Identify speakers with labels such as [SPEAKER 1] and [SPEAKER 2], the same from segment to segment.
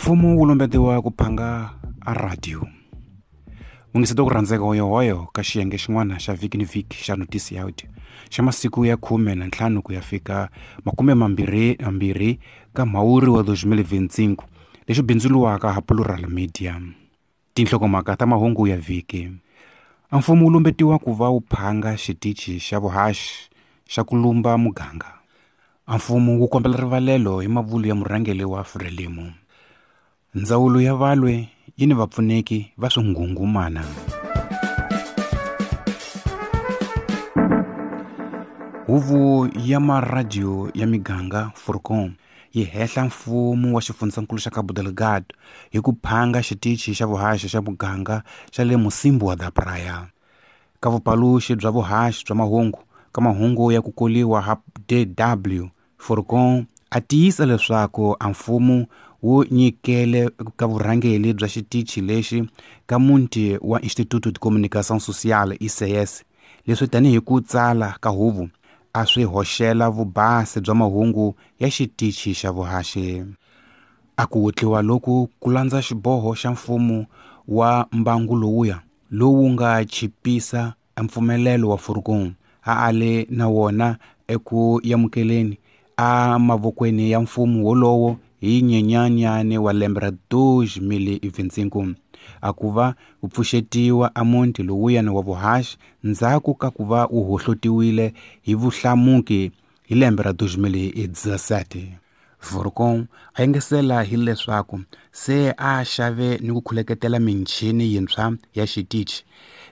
[SPEAKER 1] Mfumo wu lumbetiwa ku phanga a radio. Mungiseti ku rhandzeka hoyohoyo ka xiyenge xin'wana xa vhiki ni vhiki xa notisi ya audio xa masiku ya 15 ku ya fika 22 ka mhawuri wa 2025 lexi bindzuriwaka ha Plural Media. Tinhlokomhaka ta mahungu ya vhiki. A mfumo wu lumbetiwa ku va wu phanga xitichi xa vuhaxi xa ku lumba muganga. A mfumo wu kombela rivalelo hi mavulu ya murhangeri wa Frelimo. Ndzawulo ya valwe yi ni vapfuneki va swinghunghumana. Huvo ya maradiyo ya miganga Forcom yi hehla mfumo wa xifundzankulu xa Cabo Delgado hi ku phanga xitichi xa vuhaxi xa muganga xa le Mocímboa da Praia. Ka vupaluxi bya vuhaxi bya mahungu ka mahungu ya ku koliwa ha DW, Forcom a tiyisa leswaku a mfumo wu nyikele ka vurhangeri bya xitichi lexi ka muti wa Instituto de Comunicação Social ICS, leswi tanihi ku tsala ka huvo a swi hoxela vubasi bya mahungu ya xitichi xa vuhaxi. A ku wutliwa loku ku landza xiboho xa mfumo wa mbangu lowuya lowu nga chipisa mpfumelelo wa Forcom a ale na wona eku amukeleni a mavokweni ya mfumo wolowo hi Nyenyanyane wa lembe ra 2025 a ku va ku pfuxetiwa a muti lowuyani wa vuhaxi ndzhaku ka ku va wu hohlotiwile hi vuhlamuki hi lembe ra 2017. Forcom a engetela hileswaku se a xave ni ku khuleketela michini yintshwa ya xitichi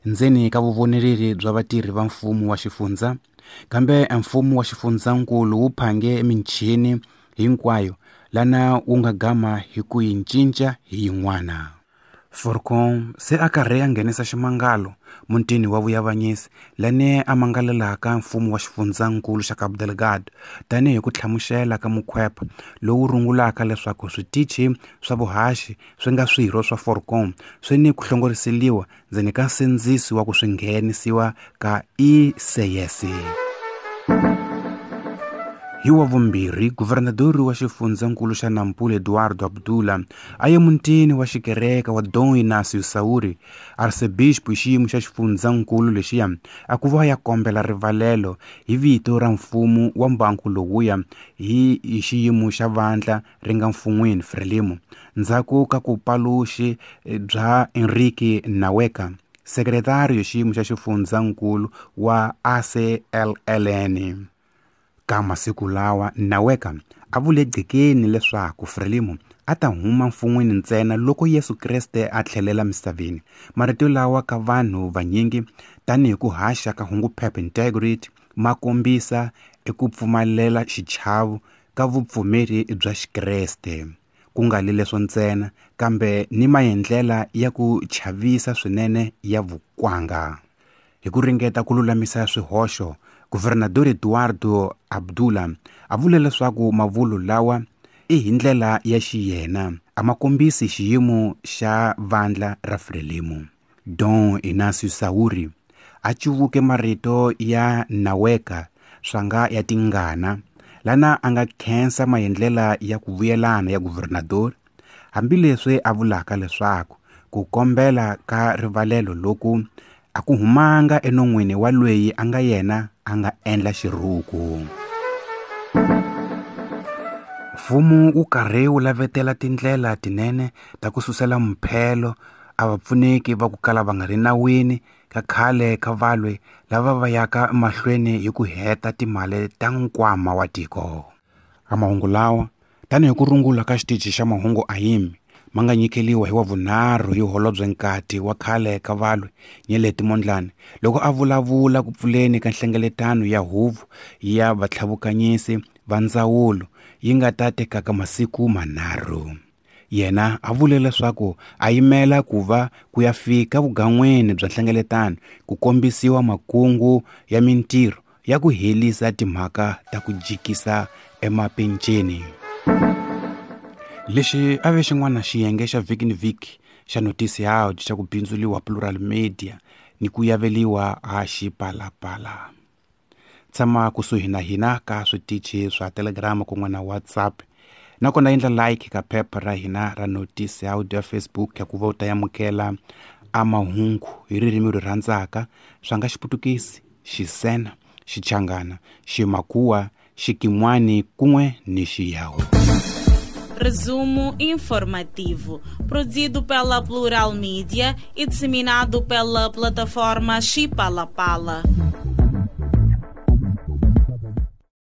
[SPEAKER 1] ndzeni ka vuvonereri bya vatirhi va mfumo wa xifundza, kambe mfumo wa xifundzankulu wu phange michini hinkwayo lana wu nga gama hi ku yi cinca hi yin'wana. Forcom se a karhi a nghenisa ximangalo mutini wa vuyavanyisi lani a mangalelaka mfumo wa xifundzankulu xa Cabo Delgado tanihi ku hlamusela ka mukhwepa lowu rungulaka leswaku switichi swa vuhaxi swi nga swirho swa Forcom swi ni ku hlongoriseliwa ndzeni ka nsindziso wa ku swi nghenisiwa ka ICS. Hi wa vumbirhi, guvernadori wa xifundzankulu xa Nampula Eduardo Abdullah a ye mutini wa xikereke wa Dom Inácio Sauri, arcebispo hi xiyimo xa xifundzankulu lexiya a ku va ya kombela rivalelo hi vito ra mfumo wa mbangu lowuya hi xiyimo xa vandla ri nga mfun'wini Frelimo ndzhaku ka ku paluxi bya Enrique Naweka, sekretari hi xiyimo xa xifundzankulu wa ACLLN. Ka masiku lawa Naweka a vule gqekeni leswaku Frelimo a ta huma mfun'wini ntsena loko Yesu Kreste a tlhelela misaveni. Marito lawa ka vanhu vanyingi tanihi ku haxa ka hunguphepha Integrity ma kombisa eku pfumalela xichavo ka vupfumeri bya Xikreste. Ku nga li leswo ntsena kambe ni maendlela ya ku chavisa swinene ya vukwanga. Hi ku ringeta ku lulamisa swihoxo, Guvernador Eduardo Abdullah a vule leswaku mavulu lawa i hi ndlela ya xiyena a ma kombisi xiyimo xa vandla ra Frelimo. Dom Inácio Sauri a cuvuke marito ya Naweka swanga ya tingana lana a nga khensa maendlela ya ku vuyelana ya guvernador hambileswi a vulaka leswaku ku kombela ka rivalelo loku a ku humanga enon'wini wa loyi a nga yena a nga endla xiruku. Mfumo wu karhi wu lavetela tindlela tinene ta ku susela mphelo a vapfuneki va ku kala va nga ri nawini ka khale ka valwe lava va yaka emahlweni hi ku heta timali ta nkwama wa tiko. A mahungu lawa tanihi ku rungula ka xitichi xa mahungu AIM ma nga nyikeliwa hi wa vunharhu hi holobye nkati wa khale ka valwe Nyeleti Mondlane loko a vulavula ku pfuleni ka nhlengeletano ya huvo ya vatlhavukanyisi va ndzawulo yi nga ta tekaka masiku manharhu. Yena a vule leswaku a yimela ku va ku ya fika vugan'wini bya nhlengeletano ku kombisiwa makungu ya mintirho ya ku helisa timhaka ta ku jikisa emapenceni. Lexi a ve xin'wana xiyenge xa vhiki ni vhiki xa notisi ya xa ku bindzuriwa Plural Media ni ku yaveliwa a Xipalapala. Tshama kusuhi na hina ka switichi swa Telegram kun'we na WhatsApp Nakona endla like ka phepha ra hina ra Notice Audio ya Facebook ya ku va u ta amukela a mahungu hi ririmi ri rhandzaka, swa nga Xiputukisi, Xisena, Xichangana, Ximakhuwa, Xikin'wani kun'we ni Xiyawu.
[SPEAKER 2] Resumo informativo, produzido pela Plural Mídia e disseminado pela plataforma Chipalapala.